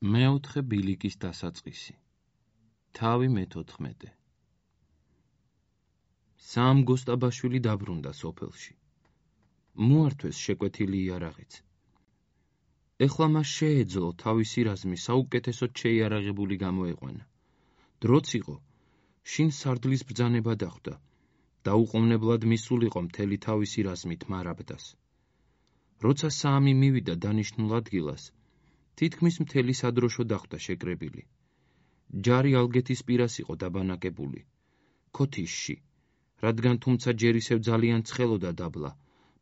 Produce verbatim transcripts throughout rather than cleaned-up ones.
მეოთხე ბილიკის დასაწყისი. თავი მეთოთხმეტე. სამ გოსტაბაშვილი დაბრუნდა სოფელში. მოართვეს შეკვეთილი იარაღიც. ეხლა მას შეეძლო თავისი რაზმი საუკეთესოდ შეიარაღებული გამოეყვანა. დროც იყო, შინ სარდლის ბრძანება დახვდა. დაუყოვნებლად მისულიყო მთელი თავისი რაზმით მარაბდას. როცა საამი მივიდა დანიშნულ ადგილას, თითქმის მთელი სადროშო დახვდა შეკრებილი. ჯარი ალგეთის პირას იყო დაბანაკებული, ქოთიშში, რადგან თუმცა ჯერ ისევ ძალიან ცხელოდა დაბლა,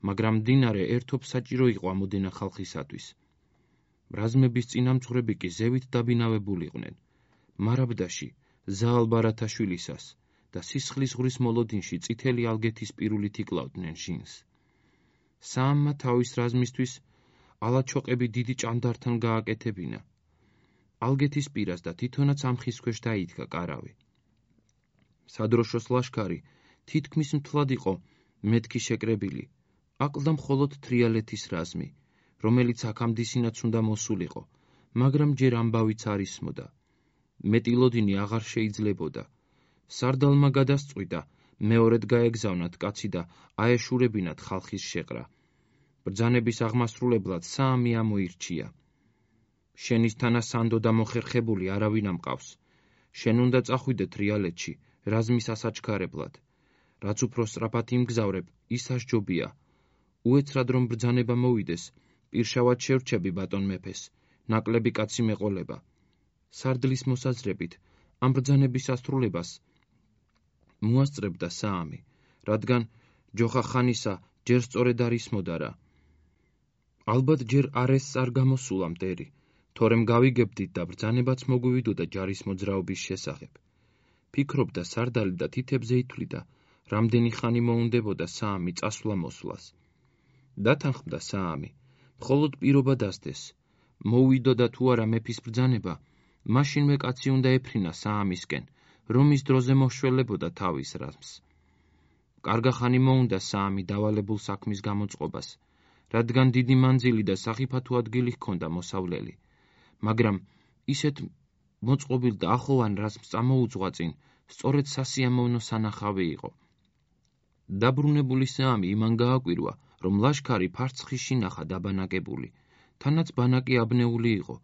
მაგრამ მდინარე ერთობ საჭირო იყო ამოდენა ხალხისათვის. რაზმების წინამძღვრები კი ზევით დაბინავებულიყვნენ, მარაბდაში ზაალ ბარათაშვილისას და სისხლის ზღვრის მოლოდინში წითელი ალგეთის პირულით იკლავდნენ ჟინს. საამმა თავის რაზმისთვის ალაჩოყები დიდი ჭანდართან გააკეთებინა. ალგეთის პირას და თვითონაც ამხის ქვეშ დაიდგა კარავი. სადროშოს ლაშქარი თითქმის მთლად იყო მეთქი შეკრებილი, აკლდა მხოლოდ თრიალეთის რაზმი, რომელიც აქამდისინაც უნდა მოსულიყო, მაგრამ ჯერ ამბავიც არ ისმოდა. მეტილოდინი აღარ შეიძლებოდა. სარდალმა გადასწყვიტა მეორედ გაეგზავნათ კაცი და აეშურებინათ ხალხის შეყრა. ბრძანების აღმასრულებლად საამი ამოირჩია. შენისთანა სანდო და მოხერხებული არავინ ამყავს. შენ უნდა წახვიდე თრიალეთში, რაზმის ასაჩქარებლად. რაც უფრო სწრაფად იმგზავრებ, ის ასჯობია. უეცრად რომ ბრძანება მოვიდეს, პირშავად შევრჩები ბატონ მეფეს, ნაკლები კაცი მეყოლება. სარდლის მოსაზრებით, ამ ბრძანების ასრულებას მოასწრებდა საამი, რადგან ჯოხახანისა ჯერ სწორედ არ ისმოდა რა. ალბათ ჯერ არესს არ გამოსულა მტერი, თორემ გავიგებდით და ბრძანებაც მოგვივიდოდა ჯარის მოძრაობის შესახებ. ფიქრობდა სარდალი და თითებზე ითვლიდა, რამდენი ხანი მოუნდებოდა საამი წასვლა მოსვლას. დათანხმდა საამი, მხოლოდ პირობა დასდეს. მოუვიდოდა თუ არა მეფის ბრძანება, მაშინვე კაცი უნდა ეფრინა საამისკენ, რომ ის დროზე მოშველებოდა თავის რაზმს. კარგახანი მოუნდა საამი დავალებულ საქმის გამოწყობას, რადგან დიდი მანძილი და სახიფათო ადგილი ჰქონდა მოსავლელი, მაგრამ ისეთ მოწყობილ და ახლოვან რაზმს წამოუძღვა წინ, სწორედ სასიამოვნო სანახავი იყო. დაბრუნებული საამი იმან გააკვირვა, რომ ლაშქარი ფარცხში ნახა დაბანაკებული, თანაც ბანაკი აბნეული იყო,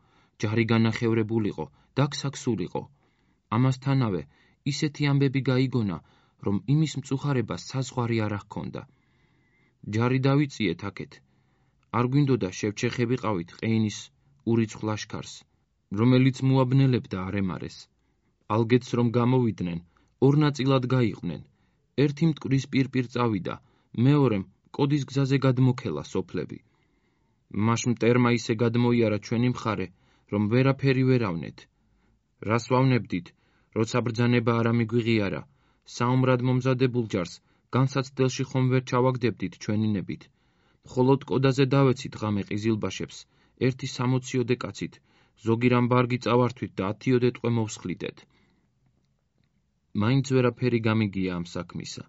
ჯარი განახევრებულიყო, დაგსაქსულიყო. ამასთანავე ისეთი ამბები გაიგონა, რომ იმის მწუხარებას საზღვარი არ ჰქონდა. ჯარი დავიწიეთ აქეთ. არ გვინდოდა შევჩეხებიყავით ყეინის ურიცხვ ლაშქარს, რომელიც მოაბნელებდა არემარეს. ალგეთს რომ გამოვიდნენ, ორ ნაწილად გაიყვნენ. ერთი მტკვრის პირპირ წავიდა, მეორემ კოდის გზაზე გადმოქელა სოფლები. მაშ მტერმა ისე გადმოიარა ჩვენი მხარე, რომ ვერაფერი ვერ ავნეთ. რას ვავნებდით, როცა ბრძანება არ ამიგვიღიარა, საომრად მომზადებულ ჯარს განსაცდელში ხომ ვერ ჩავაგდებდით ჩვენინებით. მხოლოდ კოდაზე დავეცით ღამე ყიზილბაშებს, ერთი სამოციოდე კაცით, ზოგი რამ ბარგი წავართვით და ათიოდე ტყვე მოვსხლიდეთ. მაინც ვერაფერი გამიგია ამ საქმისა.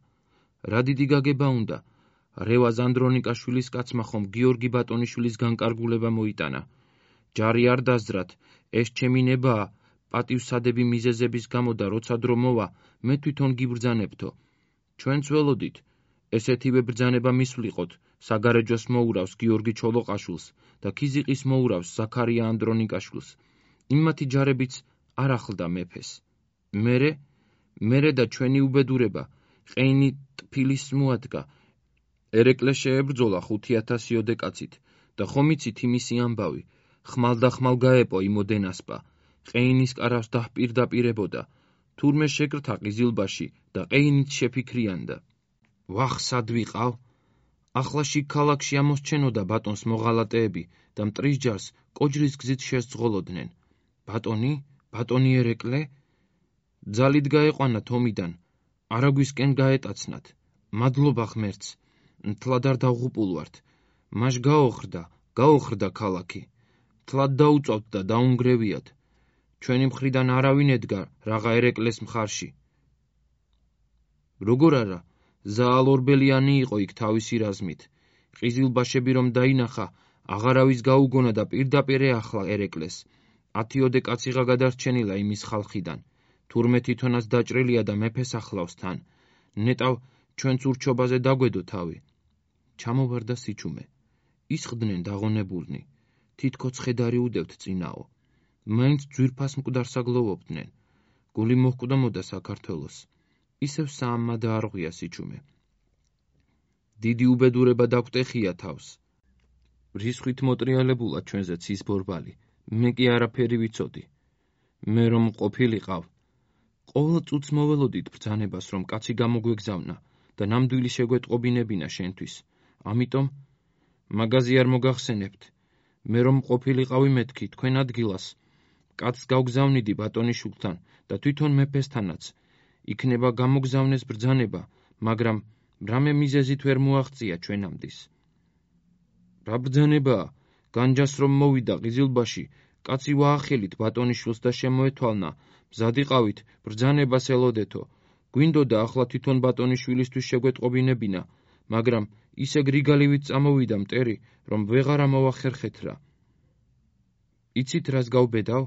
რა დიდი გაგება უნდა, რევაზ ანდრონიკაშვილის კაცმა ხომ გიორგი ბატონიშვილის განკარგულება მოიტანა. ჯარი არ დასძრათ, ეს ჩემი ნებაა, პატივსადები მიზეზების გამო და როცა დრო მოვა, მე თვითონ გიბრძანებთო. ჩვენც ველოდით, ესეთივე ბრძანება მისვლიყოთ, საგარეჯოს მოურავს გიორგი ჩოლოყაშვილს და ქიზიყის მოურავს ზაქარია ანდრონიკაშვილს. იმათი ჯარებიც არ ახლდა მეფეს. მერე, მერე და ჩვენი უბედურება, ყეინი ტფილის მოადგა. ერეკლე შეებრძოლა ხუთი ათასიოდე კაცით და ხომ იცით იმისი ამბავი, ხმალ და ხმალ გაეპო იმოდენასპა, ყეინის კარავს დაჰპირდაპირებოდა, თურმე შეკრთა ყიზილბაში და ყეინიც შეფიქრიანდა. ვახ, სად ვიყავ? ახლა შიგ ქალაქში ამოსჩენოდა ბატონს მოღალატეები და მტრის ჯარს კოჯრის გზით შესძღოლოდნენ. ბატონი? ბატონი ერეკლე? ძალით გაეყვანა თომიდან, არაგვისკენ გაეტაცნათ. მადლობა ღმერთს, მთლად არ დავღუპულვართ. მაშ გაოხრდა, გაოხრდა ქალაქი. მთლად დაუწავთ და დაუნგრევიათ. ჩვენი მხრიდან არავინ ედგა რაღა ერეკლეს მხარში. როგორ არა, ზაალ ორბელიანი იყო იქ თავისი რაზმით. ყიზილბაშები რომ დაინახა, აღარავის გაუგონა და პირდაპირ ეახლა ერეკლეს. ათიოდე კაციღა გადარჩენილა იმის ხალხიდან, თურმე თვითონაც დაჭრილია და მეფეს ახლავს თან. ნეტავ ჩვენც ურჩობაზე დაგვედო თავი. ჩამოვარდა სიჩუმე. ისხდნენ დაღონებულნი. თითქოს ხედარი უდევთ წინაო. მაინც ძვირფას მკვდარსა გლოვობდნენ. გული მოჰკვდომოდა საქართველოს. ისევ საამმა დაარღვია სიჩუმე. დიდი უბედურება დაგვტეხია თავს. რისხვით მოტრიალებულა ჩვენზეც ის ბორბალი. მე კი არაფერი ვიცოდი. მე რომ ყოფილიყავ. ყოველ წუთს მოველოდით ბრძანებას, რომ კაცი გამოგვეგზავნა და ნამდვილი შეგვეტყობინებინა შენთვის. ამიტომ მაგაზი არ მოგახსენებთ. მე რომ ყოფილიყავი მეთქი თქვენ ადგილას. კაცს გავგზავნიდი ბატონიშვილთან და თვითონ მეფესთანაც. იქნება გამოგზავნეს ბრძანება, მაგრამ რამე მიზეზით ვერ მოაღწია ჩვენამდის. რა ბრძანებაა? განჯას რომ მოვიდა ყიზილბაში, კაცი ვაახელით ბატონიშვილს და შემოეთვალნა. მზადიყავით ბრძანებას ელოდეთო. გვინდოდა ახლა თვითონ ბატონიშვილისთვის შეგვეტყობინებინა, მაგრამ ისე გრიგალივით წამოვიდა მტერი, რომ ვეღარ ამოვახერხეთ რა. იცით რას გავბედავ?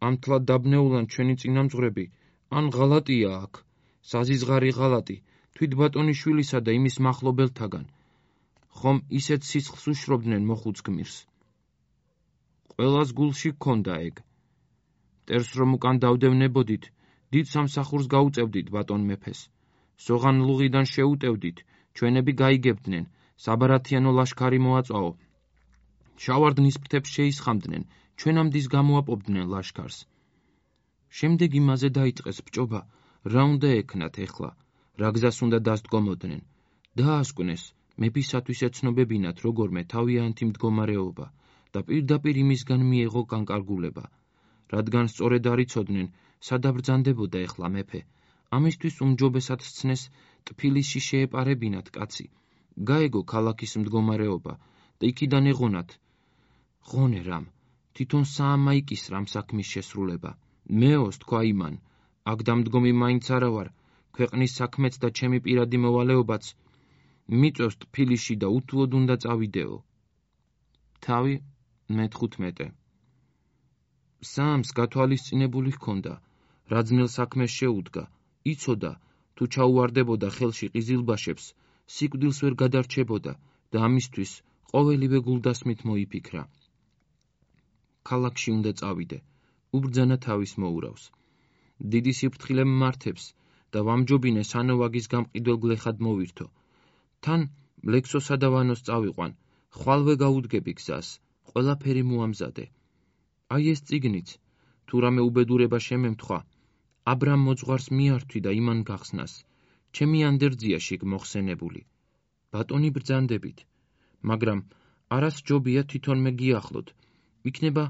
ამ თლად დაბნეულან ჩვენი წინამძღვრები, ან ღალატია აქ, საზიზღარი ღალატი, თვით ბატონიშვილისა და იმის მახლობელთაგან. ხომ ისეთ სისხლს უშრობდნენ მოხუც გმირს. ყველას გულში გქონდა ეგ. მტერს რომ უკან დავდევნებოდით, დიდ სამსახურს გაუწევდით ბატონ მეფეს. სოღან ლუღიდან შეუტევდით, ჩვენები გაიგებდნენ, საბარათიანო ლაშქარი მოაწვაო. შავარდნის ფრთებს შეისხამდნენ, ჩვენამდის გამოაპობდნენ ლაშქარს. შემდეგ იმაზე დაიწყეს ბჭობა, რა უნდა ექნათ ეხლა, რა გზას უნდა დასდგომოდნენ. დაასკვნეს, მეფისათვის ეცნობებინათ როგორმე თავიანთი მდგომარეობა და პირდაპირ იმისგან მიეღო განკარგულება. რადგან სწორედ არ იცოდნენ, სად აბრძანდებოდა ეხლა მეფე. ამისთვის უმჯობესად სცნეს ტფილისში შეეპარებინათ კაცი. გაეგო ქალაქის მდგომარეობა და იქიდან ეღონათ. ღონე რამ, თვითონ საამმა იკისრა ამ საქმის შესრულება. მეოს თქვა იმან, აქ დამდგომი მაინც არა ვარ, ქვეყნის საქმეც და ჩემი პირადი მოვალეობაც მიწევს ტფილისში და უთუოდ უნდა წავიდეო. თავი მეთხუთმეტე. საამს გათვალისწინებული ჰქონდა, რა ძნელ საქმეს შეუდგა, იცოდა, თუ ჩაუვარდებოდა ხელში ყიზილბაშებს, სიკვდილს ვერ გადარჩებოდა და ამისთვის ყოველივე გულდასმით მოიფიქრა. ქალაქში უნდა წავიდე, უბრძანა თავის მოურავს. დიდი სიფრთხილე მმართებს და ვამჯობინე სანოვაგის გამყიდველ გლეხად მოვირთო. თან ლექსოსა და ვანოს წავიყვან, ხვალვე გაუდგები გზას, ყველაფერი მოამზადე. აი ეს წიგნიც, თუ რამე უბედურება შემემთხვა, აბრამ მოძღვარს მიართვი და იმან გახსნას, ჩემი ანდერძია შიგ მოხსენებული. ბატონი ბრძანდებით, მაგრამ არას ჯობია თვითონ მე გიახლოთ, იქნება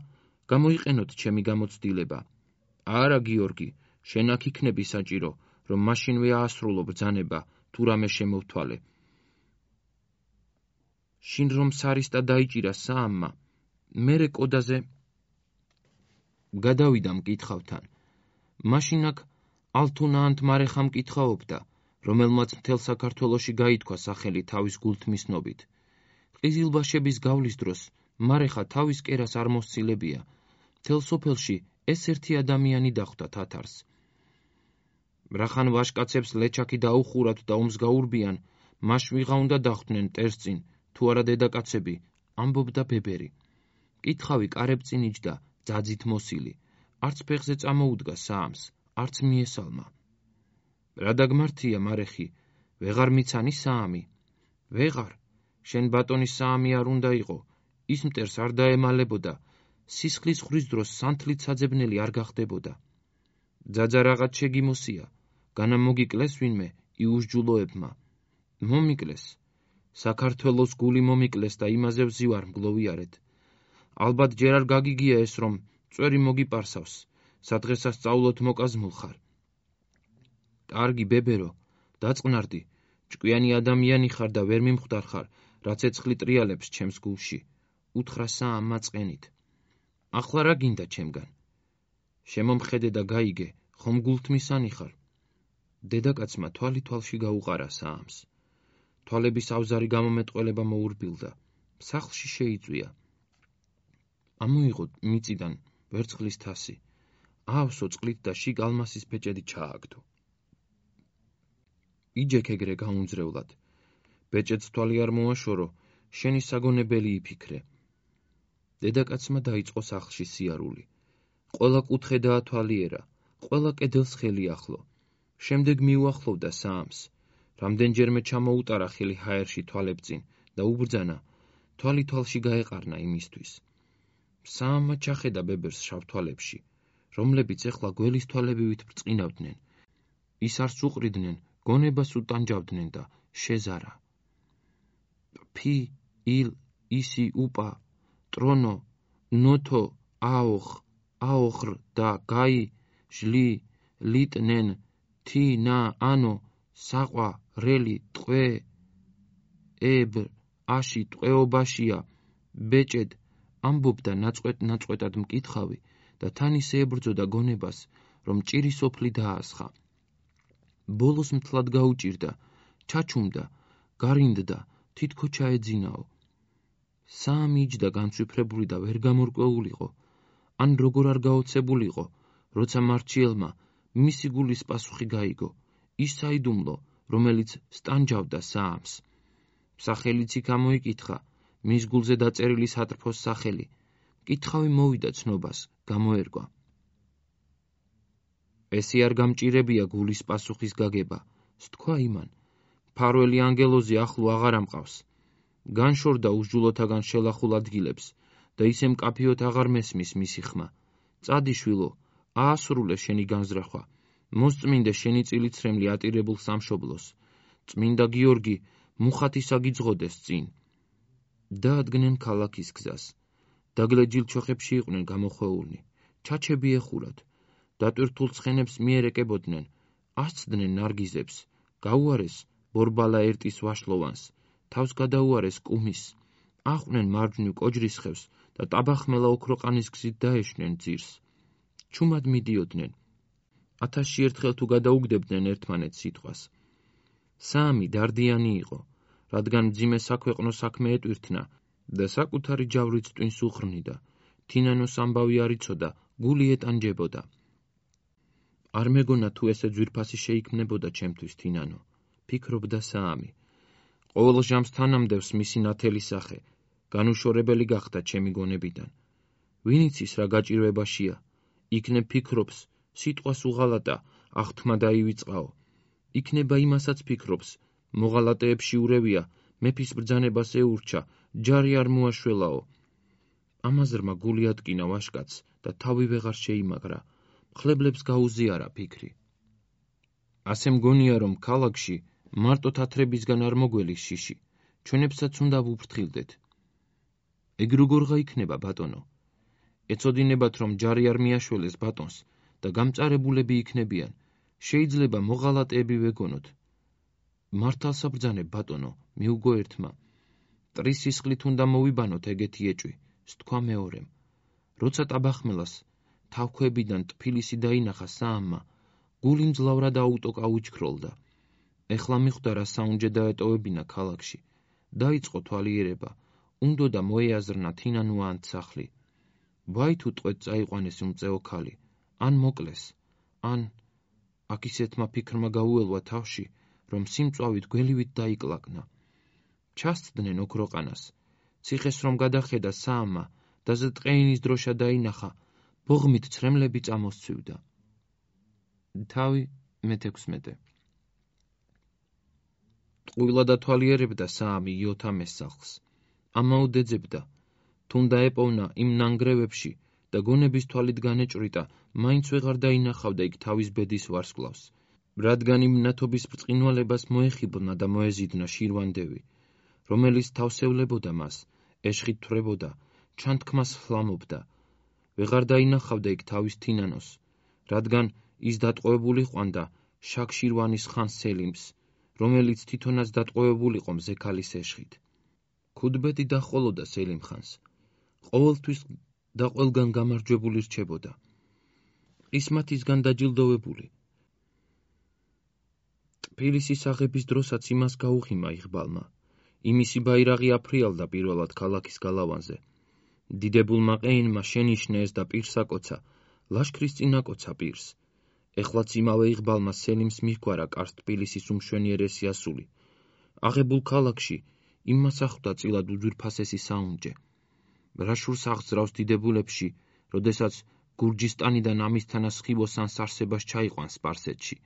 გამოიყენოთ ჩემი გამოცდილება. არა გიორგი, შენ აქ იქნები საჭირო, რომ მაშინვე აასრულო ბრძანება, თუ რამე შემოვთვალე. შინ რომ სარისტა დაიჭირა საამმა, მერე კოდაზე გადავიდა მკითხავთან. მაშინ აქ ალთუნა ანთ მარეხა მკითხაობდა, რომელმაც მთელ საქართველოში გაითქვა სახელი თავის გულთმისნობით. ყიზილბაშების გავლის დროს მარეხა თავის კერას არ მოსცილებია. მთელ სოფელში ეს ერთი ადამიანი დახვდა თათარს. რახან ვაშკაცებს ლეჩაკი დაუხურათ და ომს გაურბიან, მაშ ვიღა უნდა დახვდნენ მტერს წინ, თუ არა დედაკაცები, ამბობდა ბებერი. მკითხავი კარებ წინ იჯდა, ძაძით მოსილი. არც ფეხზე წამოუდგა საამს, არც მიესალმა. რა დაგმართია მარეხი, ვეღარ მიცანი საამი? ვეღარ, შენ ბატონის საამი არ უნდა იყო, ის მტერს არ დაემალებოდა, სისხლის ხვრის დროს სანთლით საძებნელი არ გახდებოდა. ძაძა რაღაც შეგიმოსია, განა მოგიკლეს ვინმე იუსჯულოებმა. მომიკლეს, საქართველოს გული მომიკლეს და იმაზე ვზივარ მგლოვიარეთ. ალბათ ჯერ არ გაგიგია ეს, რომ წვერი მოგიპარსავს, სადღესასწაულოდ მოკაზმულ ხარ. კარგი ბებერო, დაწყნარდი, ჭკვიანი ადამიანი ხარ და ვერ მიმხვდარ ხარ, რაც ეცხლი ტრიალებს ჩემს გულში, უთხრა საამმა წყენით. ახლა რა გინდა ჩემგან? შემომხედე და გაიგე, ხომ გულთმისანი ხარ? დედაკაცმა თვალი თვალში გაუყარა საამს. თვალების ავზარი გამომეტყველება მოურბილდა, სახლში შეიწვია. ამოიღო მიწიდან ვერცხლის თასი, აავსო წყლით და შიგ ალმასის ბეჭედი ჩააგდო. იჯექ ეგრე გაუნძრევლად. ბეჭედს თვალი არ მოაშორო, შენი საგონებელი იფიქრე. დედაკაცმა დაიწყო სახლში სიარული. ყველა კუთხე დაათვალიერა, ყველა კედელს ხელი ახლო. შემდეგ მიუახლოვდა საამს. რამდენჯერმე ჩამოუტარა ხელი ჰაერში თვალებწინ და უბრძანა, თვალი თვალში გაეყარნა იმისთვის. საამმა ჩახედა ბებერს შავ თვალებში, რომლებიც ეხლა გველის თვალებივით ბრწყინავდნენ. ის არს უყრიდნენ, გონებას უტანჯავდნენ და შეზარა. ფი, ილ, ისი, უპა, ტრონო, ნოთო, აოხ, აოხრ და გაი, ჟლი, ლიტნენ, თი, ნა, ანო, საყვა, რელი, ტყვე, ებ, აში, ტყვეობაშია, ბეჭედ, ამბობდა ნაწყვეტ-ნაწყვეტად მკითხავი და თან ისე ებრძოდა გონებას, რომ ჭირი სოფლი დაასხა. ბოლოს მთლად გაუჭირდა, ჩაჩუმდა, გარინდდა, თითქო ჩაეძინაო. საამი იჯდა განცვიფრებული და ვერ გამორკვეულიყო, ან როგორ არ გაოცებულიყო, როცა მარჩიელმა მისი გულის პასუხი გაიგო, ის საიდუმლო, რომელიც სტანჯავდა საამს. სახელიც იქ ამოიკითხა, მის გულზე დაწერილი სატრფოს სახელი. მკითხავი მოვიდა ცნობას, გამოერგვა. ესე არ გამჭირებია გულის პასუხის გაგება, სთქვა იმან. მფარველი ანგელოზი ახლო აღარ ამყავს. განშორდა უსჯულოთაგან შელახულ ადგილებს და ისე მკაფიოდ აღარ მესმის მისი ხმა. წადი შვილო, აასრულე შენი განზრახვა, მოსწმინდე შენი წილიცრემლი ატირებულ სამშობლოს. წმინდა გიორგი მუხათი საგიძღოდეს წინ. დაადგნენ ქალაქის გზას. დაგლეჯილ ჩოხებში იყვნენ გამოხვეულნი. ჩაჩები ეხურათ. დატვირთულ ცხენებს მიერეკებოდნენ, ასცდნენ ნარგიზებს, გაუარეს ბორბალა ერტის ვაშლოვანს, თავს გადაუარეს კუმის, აყვნენ მარჯვნივ კოჯრისხევს და ტაბახმელა ოქროყანის გზით დაეშნენ ძირს. ჩუმად მიდიოდნენ. ათასში ერთხელ თუ გადაუგდებდნენ ერთმანეთს სიტყვას. საამი დარდიანი იყო, რადგან მძიმე საქვეყნო საქმე ეტვირთნა და საკუთარი ჯავრიც ტვინს უხრნიდა. თინანოს ამბავი არ იცოდა, გული ეტანჯებოდა. არ მეგონა თუ ესე ძვირფასი შეიქმნებოდა ჩემთვის თინანო, ფიქრობდა საამი. ყოველ ჟამს თანამდევს მისი ნათელი სახე, განუშორებელი გახდა ჩემი გონებიდან. ვინ იცის რა გაჭირვებაშია, იქნებ ფიქრობს, სიტყვას უღალატა, აღთქმა დაივიწყაო. იქნება იმასაც ფიქრობს, მოღალატეებში ურევია, მეფის ბრძანებას ეურჩა, ჯარი არ მოაშველაო. ამაზრმა გული ატკინა ვაშკაცს და თავი ვეღარ შეიმაგრა, მხლებლებს გაუზიარა ფიქრი. ასე მგონია, რომ ქალაქში მარტო თათრებისგან არ მოგველის შიში, ჩვენებსაც უნდა ვუფრთხილდეთ. ეგ როგორღა იქნება, ბატონო? ეცოდინებათ, რომ ჯარი არ მიაშველეს ბატონს და გამწარებულები იქნებიან, შეიძლება მოღალატეები ვეგონოთ. მართალსა ბრძანებ, ბატონო, მიუგო ერთმა. მტრის სისხლით უნდა მოვიბანოთ ეგეთი ეჭვი, სთქვა მეორემ. როცა ტაბახმელას თავქვებიდან ტფილისი დაინახა საამმა, გული მძლავრად აუტოკა უჩქროლდა. ეხლა მიხვდა რა საუნჯე დაეტოვებინა ქალაქში. დაიწყო თვალიერება, უნდოდა მოეაზრნა თინანო ან სახლი. ვაი თუ ტყვედ წაიყვანეს უმწეო ქალი, ან მოკლეს, ან აქ ისეთმა ფიქრმა გაუელვა თავში, რომ სიმწვავით გველივით დაიკლაკნა. ჩასცდნენ ოქროყანას. ციხეს რომ გადახედა საამმა, დაზე ტყეინის დროშა დაინახა, ბოღმით ცრემლები წამოსცვივდა. თავი მეთექვსმეტე. ტყუილა დათვალიერებდა საამი იოთამეს სახლს. ამაოდ ეძებდა, თუნდა ეპოვნა იმ ნანგრევებში და გონების თვალით განეჭვრიტა, მაინც ვეღარ დაინახავდა იქ თავის ბედის ვარსკვლავს, რადგან იმ ნათობის ბრწყინვალებას მოეხიბლნა და მოეზიდნა შირვანდევი, რომელიც თავსევლებოდა მას, ეშხით თვრებოდა, ჩანთქმას ჰლამობდა. ვეღარ დაინახავდა იქ თავის თინანოს, რადგან ის დატყვევებული ყვანდა შაქ-შირვანის ხანს სელიმს, რომელიც თვითონაც დატყვევებულიყო მზე ქალის ეშხით. ქუდბეთი დაჰყოლოდა სელიმ ხანს, ყოველთვის და ყველგან გამარჯვებული რჩებოდა. ყისმათისგან დაჯილდოვებული. ტფილისის აღების დროსაც იმას გაუღიმა იღბალმა. იმისი ბაირაღი აფრიალდა პირველად ქალაქის გალავანზე. დიდებულმა ყეინმა შენიშნეს და პირს აკოცა, ლაშქრის წინ აკოცა პირს. ეხლაც იმავე იღბალმა სელიმს მიჰგვარა კარს თბილისის უმშვენიერესი ასული. აღებულ ქალაქში იმას ახლდა წილად უძვირფასესი საუნჯე. რაშურს აღძრავს დიდებულებში, როდესაც გურჯისტანიდან ამისთანა სხივოსანს არსებას ჩაიყვანს სპარსეთში.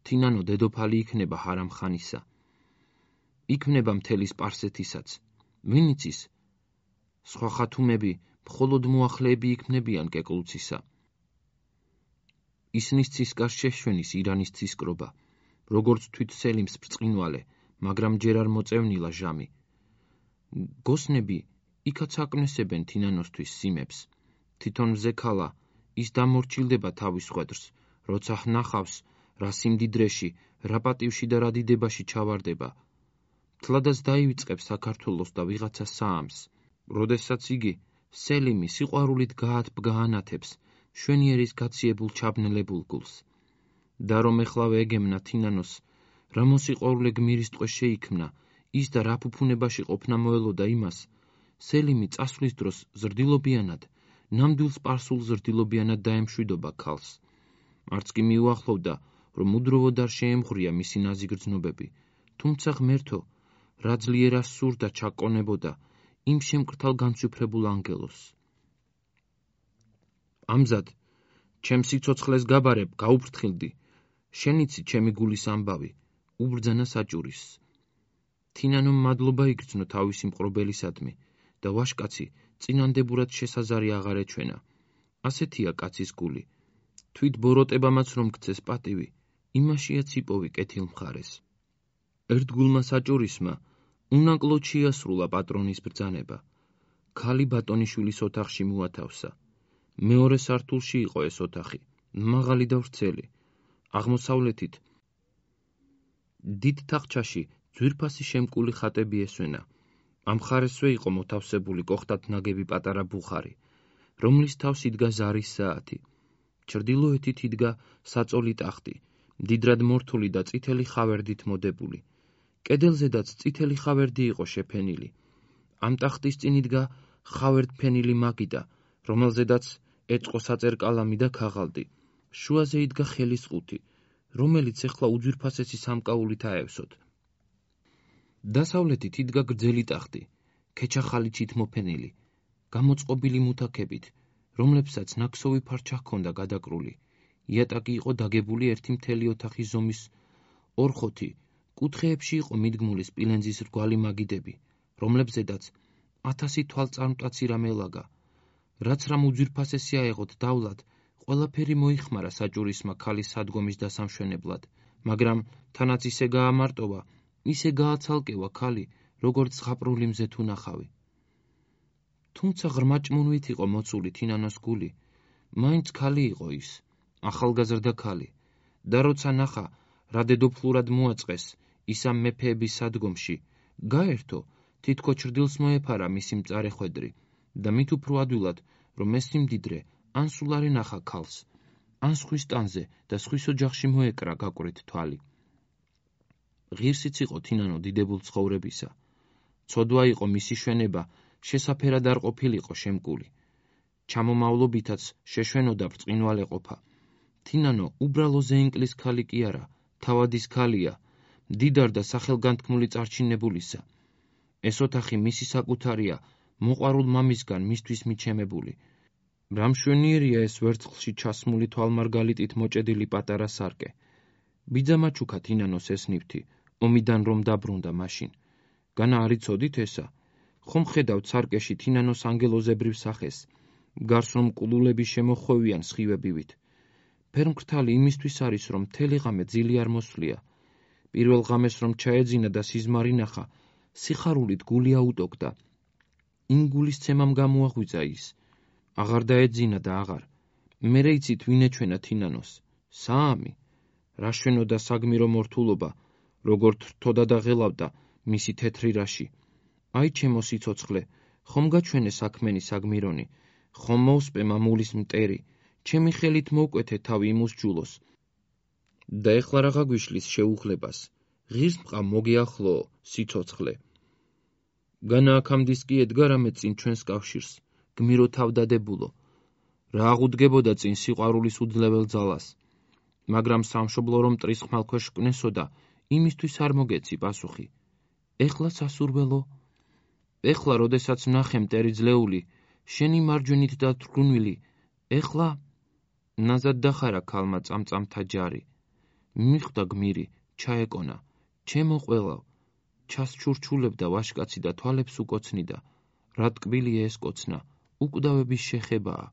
თინანო დედოფალი იქნება ჰარამხანისა. იქმნება მთელი სპარსეთისაც. ვინ იცის? სხვა ხათუმები მხოლოდ მოახლეები იქმნებიან კეკლუცისა. ისნის ცისკარ შეშვენის ირანის ცისკრობა, როგორც თვით სელიმს ბრწყინვალე, მაგრამ ჯერ არ მოწევნილა ჟამი. გოსნები იქაც აკნესებენ თინანოსთვის სიმებს. თვითონ მზექალა ის დამორჩილდება თავის ხვედრს, როცა ვნახავს, რა სიმდიდრეში, რა პატივში და რა დიდებაში ჩავარდება. თლადაც დაივიწყებს საქართველოს და ვიღაცა საამს, როდესაც იგი სელიმი სიყვარულით გაათბგაანათებს შვენიერის გაციებულ ჩაბნელებულ გულს. და რომ ეხლავე ეგემნა თინანოს, რა მოსიყვარულე გმირის ტყვე შეიქმნა, ის და რა ფუფუნებაში ყოფნა მოელოდა იმას, სელიმი წასვლის დროს ზრდილობიანად, ნამდვილ სპარსულ ზრდილობიანად დაემშვიდობა ქალს. არც კი მიუახლოვდა, რომ უდროვოდ არ შეემღვრია მისი ნაზი გრძნობები, თუმცა ღმერთო, რა ძლიერას სურდა ჩაკონებოდა იმ შემკრთალ განცვიფრებულ ანგელოს. ამზად, ჩემ სიცოცხლეს გაბარებ, გაუფრთხილდი, შენიცი ჩემი გულის ამბავი, უბრძანა საჭურისს. თინანომ მადლობა იგრძნო თავისი მყრობელისადმი და ვაშკაცი წინანდებურად შესაზარი აღარ ეჩვენა. ასეთია კაცის გული. თვით ბოროტებამაც რომ გცეს პატივი, იმაშიაც იპოვი კეთილ მხარეს. ერთგულმა საჭურისმა უნაკლოდ შეასრულა პატრონის ბრძანება. ქალი ბატონიშვილის ოთახში მოათავსა. მეორე სართულში იყო ეს ოთახი, მაღალი და ვრცელი. აღმოსავლეთით დიდ თახჩაში ძვირფასი შემკული ხატები ესვენა. ამ ხარესვე იყო მოთავსებული კოხტად ნაგები პატარა ბუხარი, რომლის თავს იდგა ზარის საათი. ჩრდილოეთით იდგა საწოლი ტახტი, მდიდრად მორთული და წითელი ხავერდით მოდებული. კედელზედაც წითელი ხავერდი იყო შეფენილი. ამ ტახტის წინ იდგა ხავერდფენილი მაგიდა, რომელზედაც ეწყო საწერკალამი და ქაღალდი. შუაზე იდგა ხელის ყუთი, რომელიც ეხლა უძვირფასესი სამკაულით აევსოთ. დასავლეთით იდგა გრძელი ტახტი, ქეჩახალიჩით მოფენილი, გამოწყობილი მუთაქებით, რომლებსაც ნაქსოვი ფარჩა ჰქონდა გადაკრული. იატაკი იყო დაგებული ერთი მთელი ოთახის ზომის ორხოთი, კუთხეებში იყო მიდგმული სპილენძის რგვალი მაგიდები, რომლებზედაც ათასი თვალწარმტაცი რამე ლაგა. რაც რამ უძვირფასესი აეღოთ დავლად, ყველაფერი მოიხმარა საჭურისმა ქალის სადგომის დასამშვენებლად, მაგრამ თანაც ისე გაამარტოვა, ისე გააცალკევა ქალი, როგორც ზღაპრული მზე თუ ნახავი. თუმცა ღრმა ჭმუნვით იყო მოცული თინანოს გული, მაინც ქალი იყო ის, ახალგაზრდა ქალი, და როცა ნახა, რა დედოფლურად მოაწყეს ის ამ მეფეების სადგომში, გაერთო, თითქო ჩრდილს მოეფარა მისი მწარე ხვედრი და მით უფრო ადვილად, რომ ეს სიმდიდრე ან სულ არ ენახა ქალს, ან სხვის ტანზე და სხვის ოჯახში მოეკრა გაკვრით თვალი. ღირსიც იყო თინანო დიდებულ ცხოვრებისა. ცოდვა იყო მისი შვენება, შესაფერად არ ყოფილიყო შემკული. ჩამომავლობითაც შეშვენოდა ბრწყინვალე ყოფა. თინანო უბრალო ზეინკლის ქალი კი არა, თავადის ქალია, მდიდარ და სახელგანთქმული წარჩინებულისა. ეს ოთახი მისი საკუთარია, მოყვარულ მამისგან მისთვის მიჩემებული. რა მშვენიერია ეს ვერცხლში ჩასმული თვალმარგალიტით მოჭედილი პატარა სარკე. ბიძამაჩუქა თინანოს ეს ნივთი, ომიდან რომ დაბრუნდა მაშინ. განა არ იცოდით ესა? ხომ ხედავთ სარკეში თინანოს ანგელოზებრივ სახეს, გარს რომ კულულები შემოხვევიან სხივებივით. ფერმკრთალი იმისთვის არის, რომ მთელი ღამე ძილი არ მოსვლია. პირველ ღამეს რომ ჩაეძინა და სიზმარი ნახა, სიხარულით გული აუტოგდა. იმ გულის ცემამ გამოაღვიძა ის. აღარ დაეძინა და აღარ. მერე იცით ვინ ეჩვენა თინანოს? საამი. რა შვენოდა საგმირო მორთულობა, როგორ თრთოდა და ღელავდა მისი თეთრი რაში. აი ჩემო სიცოცხლე, ხომ გაჩვენე საქმენი საგმირონი, ხომ მოუსპე მამულის მტერი, ჩემი ხელით მოვკვეთე თავი იმუსჯულოს. და ეხლა რაღა გვიშლის შეუღლებას, ღირს მყავ მოგიახლოო, სიცოცხლე. განა აქამდის კი ედგა რამე წინ ჩვენს კავშირს, გმირო თავდადებულო, რა აღუდგებოდა წინ სიყვარულის უძლებელ ძალას, მაგრამ სამშობლო რომ მტრის ხმალქვეშ კვნესოდა, იმისთვის არ მოგეცი პასუხი. ეხლა სასურველო, ეხლა როდესაც ვნახე მტერი ძლეული, შენი მარჯვენით დათრგუნვილი, ეხლა ნაზად დახარა ქალმა წამწამთა ჯარი. მიხვდა გმირი, ჩაეკონა, ჩემო ყველავ, ჩასჩურჩულებდა ვაშკაცი და თვალებს უკოცნიდა, რა ტკბილია ეს კოცნა, უკვდავების შეხებაა.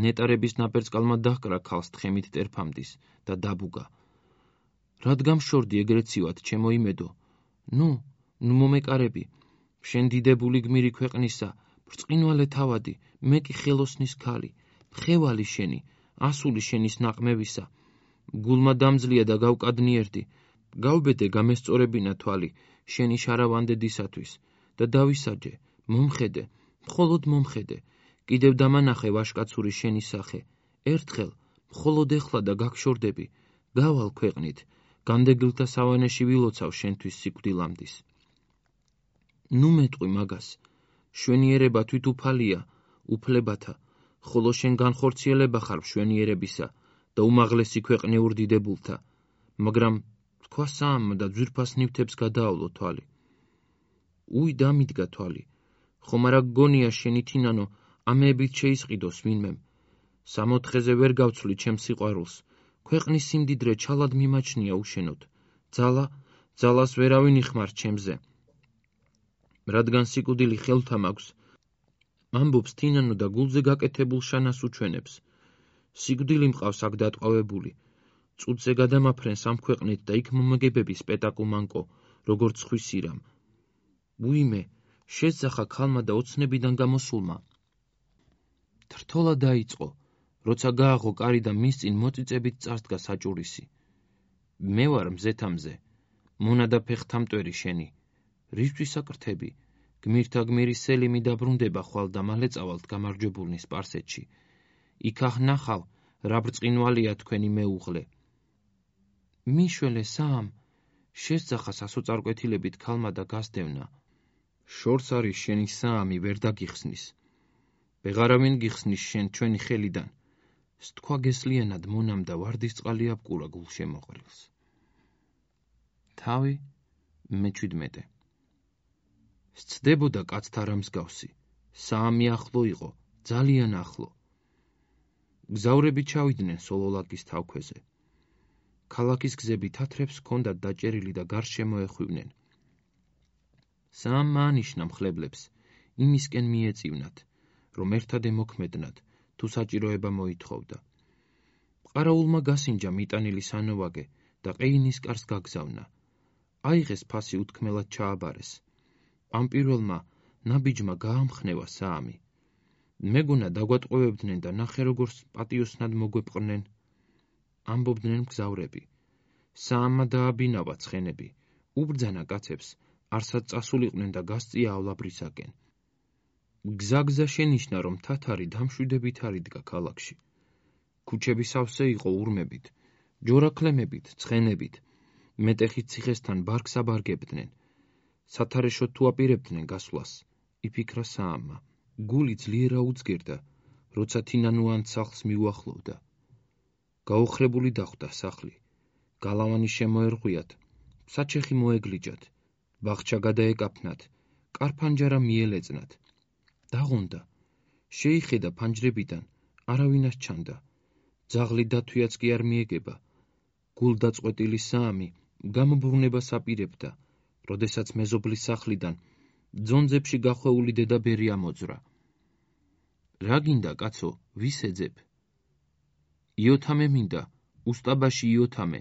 ნეტარების ნაპერწკალმა დაჰკრა ქალს თხემით ტერფამდის და დაბუგა. რად გამშორდი ეგრეთ ცივად, ჩემო იმედო, ნუ, ნუ მომეკარები, შენ დიდებული გმირი ქვეყნისა, ბრწყინვალე თავადი, მე კი ხელოსნის ქალი, მხევალი შენი, ასული შენის ნაყმევისა, გულმა დამძლია და გავკადნიერდი, გავბედე გამესწორებინა თვალი, შენი შარავანდედისათვის და დავისაჯე, მომხედე, მხოლოდ მომხედე, კიდევ დამანახე ვაშკაცური შენი სახე, ერთხელ, მხოლოდ ეხლა და გაგშორდები, გავალ ქვეყნით, განდეგილთა სავანეში ვილოცავ შენთვის სიკვდილამდის. ნუ მეტყვი მაგას, შვენიერება თვითუფალია, უფლებათა, ხოლო შენ განხორციელება ხარ მშვენიერებისა და უმაღლესი ქვეყნიურ დიდებულთა, მაგრამ თქვა საამმა და ძვირფას ნივთებს გადაავლო თვალი. უი დამიდგა თვალი, ხომ არა გგონია შენი თინანო, ამეებით შეისყიდოს ვინმემ, სამოთხეზე ვერ გავცვლი ჩემს სიყვარულს, ქვეყნის სიმდიდრე ჩალად მიმაჩნია უშენოდ, ძალა, ძალას ვერავინ იხმარს ჩემზე. რადგან სიკვდილი ხელთა მაქვს, ამბობს თინანო და გულზე გაკეთებულ შანას უჩვენებს. სიკვდილი მყავს აქ დატყვევებული, წუთზე გადამაფრენს ამ ქვეყნით და იქ მომგებების პეტაკუმანკო, როგორც ხვის სირამ. უიმე, შესძახა ქალმა და ოცნებიდან გამოსულმა. თრთოლა დაიწყო, როცა გააღო კარი და მის წინ მოწიწებით წარსდგა საჭურისი. მე ვარ მზეთა მზე, მონა და ფეხთამტვერი შენი, რისთვის აკრთები, გმირთა გმირი სელიმი დაბრუნდება ხვალ და მალე წავალთ გამარჯვებულნი სპარსეთში. იქახ ნახავ, რა ბრწყინვალია თქვენი მეუღლე. მიშველე საამ, შესძახა სასოწარკვეთილებით ქალმა და გასდევნა. შორს არის შენი საამი ვერ დაგიხსნის. ვეღარავინ გიხსნის შენ ჩვენი ხელიდან. სთქვა გესლიანად მონამ და ვარდისწყალი აბკურა გულშემოყრილს. თავი მეჩვიდმეტე. სცდებოდა კაცთა რა მსგავსი, საამი ახლო იყო, ძალიან ახლო. გზავრები ჩავიდნენ სოლოლაკის თავქვეზე. ქალაქის გზები თათრებს ჰქონდათ დაჭერილი და გარშემო ეხვივნენ. საამმა ანიშნა მხლებლებს, იმისკენ მიეწივნათ, რომ ერთად ემოქმედნათ, თუ საჭიროება მოითხოვდა. ყარაულმა გასინჯა მიტანილი სანოვაგე და ყეინის კარს გაგზავნა. აიღეს ფასი უთქმელად ჩააბარეს. ამ პირველმა ნაბიჯმა გაამხნევა საამი. მეგონა დაგვატყვევებდნენ და ნახე როგორც პატიოსნად მოგვეპყრნენ. ამბობდნენ მგზავრები. საამმა დააბინავა ცხენები, უბრძანა კაცებს, არსად წასულიყვნენ და გასწია ავლაბრისაკენ. გზა-გზა შენიშნა, რომ თათარი დამშვიდებით არიდგა ქალაქში. ქუჩები სავსე იყო ურმებით, ჯორაქლემებით, ცხენებით, მეტეხის ციხესთან ბარგს აბარგებდნენ. სათარეშოდ თუ აპირებდნენ გასვლას, იფიქრა საამმა. გული ძლიერ აუძგერდა, როცა თინანუან სახლს მიუახლოვდა. გაოხრებული დახვდა სახლი, გალავანი შემოერღვიათ, საჩეხი მოეგლიჯათ, ბაღჩა გადაეკაფნათ, კარფანჯარა მიელეწნათ. დაღონდა, შეიხედა ფანჯრებიდან, არავინას ჩანდა, ძაღლი დათვიაც კი არ მიეგება. გულდაწყვეტილი საამი გამობრუნებას აპირებდა, როდესაც მეზობლის სახლიდან ძონძებში გახვეული დედაბერი ამოძვრა. რა გინდა, კაცო, ვის ეძებ? იოთამე მინდა, უსტაბაში იოთამე,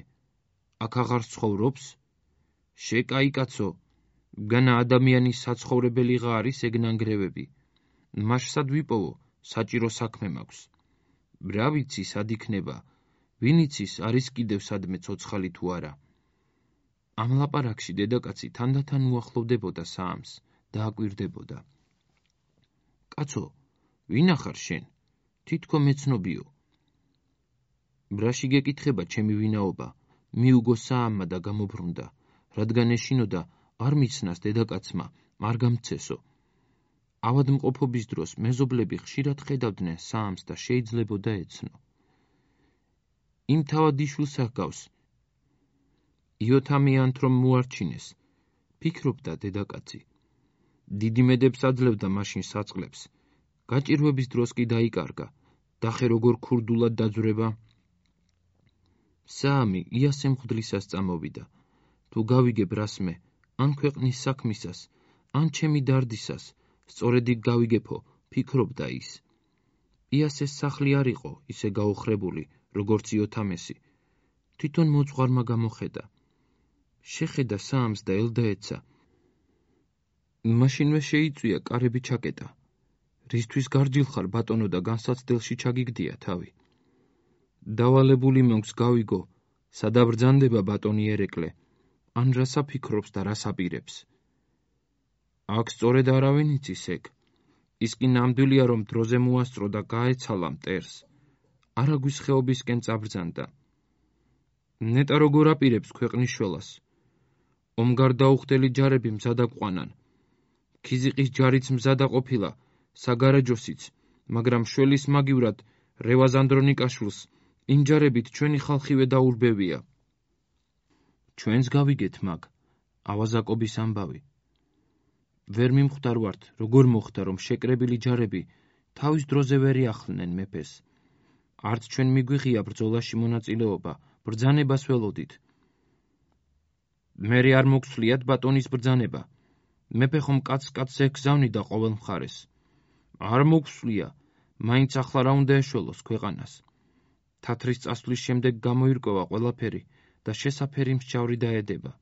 აქ აღარ ცხოვრობს? შეკაი კაცო, განა ადამიანის საცხოვრებელიღა არის ეგ ნანგრევები. მაშსად ვიპოვო, საჭირო საქმე მაქვს. რა ვიცი სად იქნება, ვინ იცის არის კიდევ სადმე ცოცხალი თუ არა. ამ ლაპარაკში დედაკაცი თანდათან უახლოვდებოდა საამს და აკვირდებოდა. კაცო, ვინა ხარ შენ? თითქო მეცნობიო. ბრაში გეკითხება ჩემი ვინაობა, მიუგო საამმა და გამობრუნდა, რადგან ეშინოდა არ მიცნას დედაკაცმა, არ გამცესო. ავადმყოფობის დროს მეზობლები ხშირად ხედავდნენ საამს და შეიძლებოდა ეცნო. იმ თავადიშვილს ჰგავს. იოთამიანთ რომ მოარჩინეს, ფიქრობდა დედაკაცი. დიდი მედებს აძლევდა მაშინ საწყლებს. გაჭირვების დროს კი დაიკარგა. დახე როგორ ქურდულად დაძვრება. საამი იასე მღვდლისას წამოვიდა. თუ გავიგებ რასმე, ან ქვეყნის საქმისას, ან ჩემი დარდისას, სწორედ იქ გავიგებო, ფიქრობდა ის. იასეს სახლი არ იყო ისე გაოხრებული, როგორც იოთამესი. თვითონ მოძღვარმა გამოხედა. შეხედა საამს და ელდაეცა. მაშინვე შეიწვია კარები ჩაკეტა. რისთვის გარჯილ ხარ, ბატონო, და განსაცდელში ჩაგიგდია თავი. დავალებული მოგს გავიგო, სადაბრძანდება ბატონი ერეკლე, ან რას აფიქრობს და რას აპირებს. აქ სწორედ არავინ იცის ეგ. ის კი ნამდვილია, რომ დროზე მოასწრო და გაეცალა მტერს. არაგვის ხეობისკენ წაბრძანდა. ნეტა როგორ აპირებს ქვეყნის შველას. ომგარ დაუხდელი ჯარები მზად აყვანან. ქიზიყის ჯარიც მზადა ყოფილა, საგარეჯოსიც, მაგრამ შველის მაგივრად რევაზ ანდრონიკაშვილს იმ ჯარებით ჩვენი ხალხივე დაურბევია. ჩვენს გავიგეთ მაგ, ავაზაკობის ამბავი. ვერ მიმხვდარ ვართ, როგორ მოხდა, რომ შეკრებილი ჯარები თავის დროზე ვერ იახლნენ მეფეს. არც ჩვენ მიგვიღია ბრძოლაში მონაწილეობა, ბრძანებას ველოდით. მერე არ მოგცვლიათ ბატონის ბრძანება. მეფე ხომ კაც-კაცს ეკგზავნიდა ყოველ მხარეს. არ მოგცვლია, მაინც ახლა რა უნდა ეშველოს ქვეყანას. თათრის წასვლის შემდეგ გამოირკვევა ყველაფერი და შესაფერი მსჯავრი დაედება.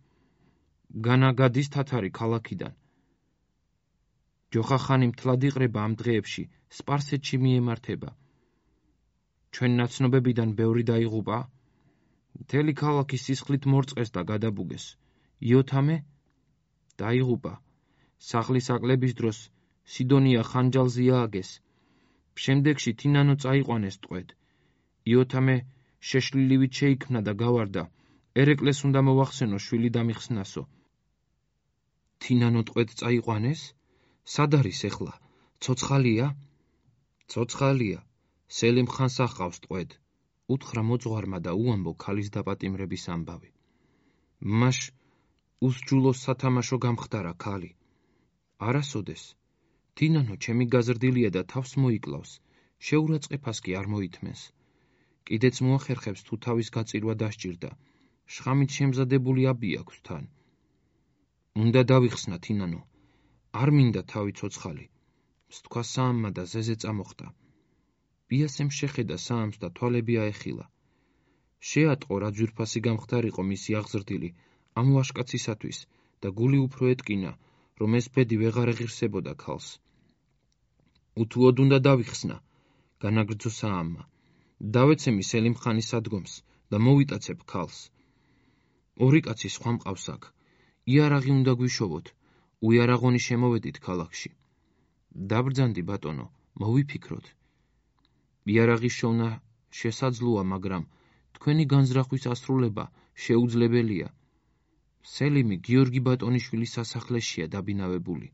განა გადის თათარი ქალაქიდან. ჯოხახანი მთლად იყრება ამ დღეებში, სპარსეთში მიემართება. ჩვენ ნაცნობებიდან ბევრი დაიღუპა. მთელი ქალაქი სისხლით მორწყეს და გადაბუგეს. იოთამე დაიღუპა. სახლის აკლების დროს სიდონია ხანჯალზე ააგეს. შემდეგში თინანო წაიყვანეს ტყვედ. იოთამე შეშლილივით შეიქმნა და გავარდა. ერეკლეს უნდა მოვახსენო შვილი დამიხსნასო. თინანო ტყვედ წაიყვანეს? სად არის ეხლა? ცოცხალია? ცოცხალია. სელიმ ხანს ახავს ტყვედ. უთხრა მოძღვარმა და უამბო ქალის დაპატიმრების ამბავი. მაშ უსჯულოს სათამაშო გამხდარა ქალი. არასოდეს. თინანო ჩემი გაზრდილია და თავს მოიკლავს. შეურაცხეფას კი არ მოითმენს. კიდეც მოახერხებს თუ თავის გაწირვა დასჭირდა. შხამით შემზადებული აბი აქვს თან. უნდა დავიხსნა თინანო. არ მინდა თავი ცოცხალი. სთქვა საამმა და ზეზე წამოხდა. იასემ შეხედა საამს და თვალები აეხილა. შეატყო რა ძვირფასი გამხდარიყო მისი აღზრდილი ამ ვაჟკაცისათვის და გული უფრო ეტკინა, რომ ეს ბედი ვეღარ ეღირსებოდა ქალს. უთუოდ უნდა დავიხსნა, განაგრძო საამმა. დავეცემი სელიმ ხანის ადგომს და მოვიტაცებ ქალს. ორი კაცი სხვა მყავს აქ. იარაღი უნდა გვიშოვოთ. უიარაღონი შემოვედით ქალაქში. დაბრძანდი ბატონო, მოვიფიქროთ. იარაღის შოვნა შესაძლოა, მაგრამ თქვენი განზრახვის ასრულება შეუძლებელია. სელიმი გიორგი ბატონიშვილის სასახლეშია დაბინავებული,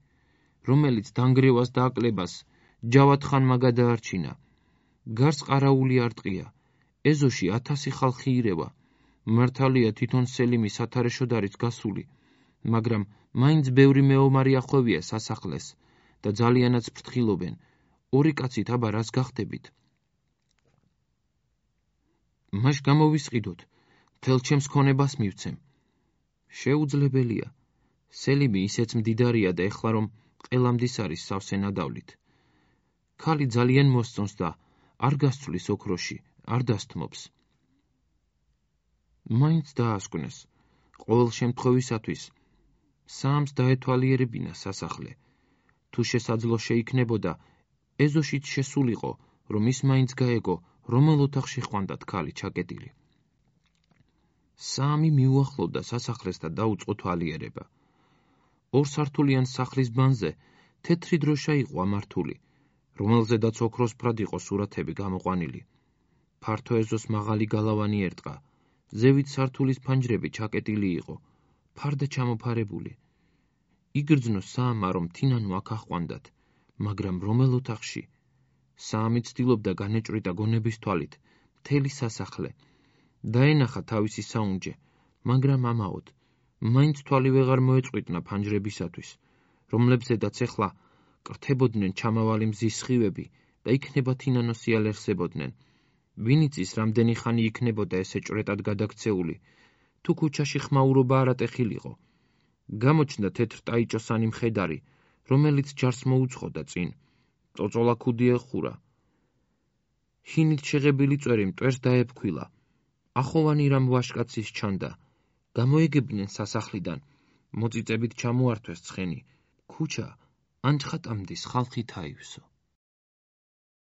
რომელიც დანგრევას და აკლებას ჯავად ხანმა გადაარჩინა. გარს ყარაული არტყია, ეზოში ათასი ხალხი ირევა. მართალია თვითონ სელიმი სათარეშოდ არის გასული, მაგრამ მაინც ბევრი მეომარი ახვევია სასახლეს და ძალიანაც ფრთხილობენ. ორი კაცით აბა რას გახდებით? მაშ გამოვისყიდოთ, მთელ ჩემს ქონებას მივცემ. შეუძლებელია. სელიმი ისეც მდიდარია და ეხლა რომ ყელამდის არის სავსე ნადავლით. ქალი ძალიან მოსწონს და არ გასცვლის ოქროში, არ დასთმობს. მაინც დაასკვნეს. ყოველ შემთხვევისათვის საამს დაეთვალიერებინა სასახლე. თუ შესაძლო შეიქნებოდა, ეზოშიც შესულიყო, რომ ის მაინც გაეგო, რომელ ოთახში ხვანდათ ქალი ჩაკეტილი. საამი მიუახლოვდა სასახლეს და დაუწყო თვალიერება. ორსართულიან სახლის ბანზე თეთრი დროშა იყო ამართული, რომელზედაც ოქროსფრად იყო სურათები გამოყვანილი. ფართო ეზოს მაღალი გალავანი ერტყა, ზევით სართულის ფანჯრები ჩაკეტილი იყო, ფარდა ჩამოფარებული. იგრძნო საამა, რომ თინანო აქ აჰყვანდათ, მაგრამ რომელ ოთახში? საამი ცდილობდა განეჭვრიტა გონების თვალით მთელი სასახლე. დაენახა თავისი საუნჯე, მაგრამ ამაოდ მაინც თვალი ვეღარ მოეწყვიტნა ფანჯრებისათვის, რომლებზედაც ეხლა კრთებოდნენ ჩამავალი მზის სხივები და იქნებათ ინანოსი ალერსებოდნენ. ვინ იცის, რამდენი ხანი იქნებოდა ესე ჭვრეტად გადაქცეული, თუ ქუჩაში ხმაურობა არატეხილიყო. გამოჩნდა თეთრ ტაიჭოსანი მხედარი, რომელიც ჯარს მოუძღოდა წინ. წოწოლა ქუდი ეხურა. ჰინით შეღებილი წვერი მტვერს დაეფქვილა. ახოვანი რამ ვაშკაცის ჩანდა. გამოეგებდნენ სასახლიდან. მოწიწებით ჩამოართვეს ცხენი. ქუჩა ანჩხატამდის ხალხით აივსო.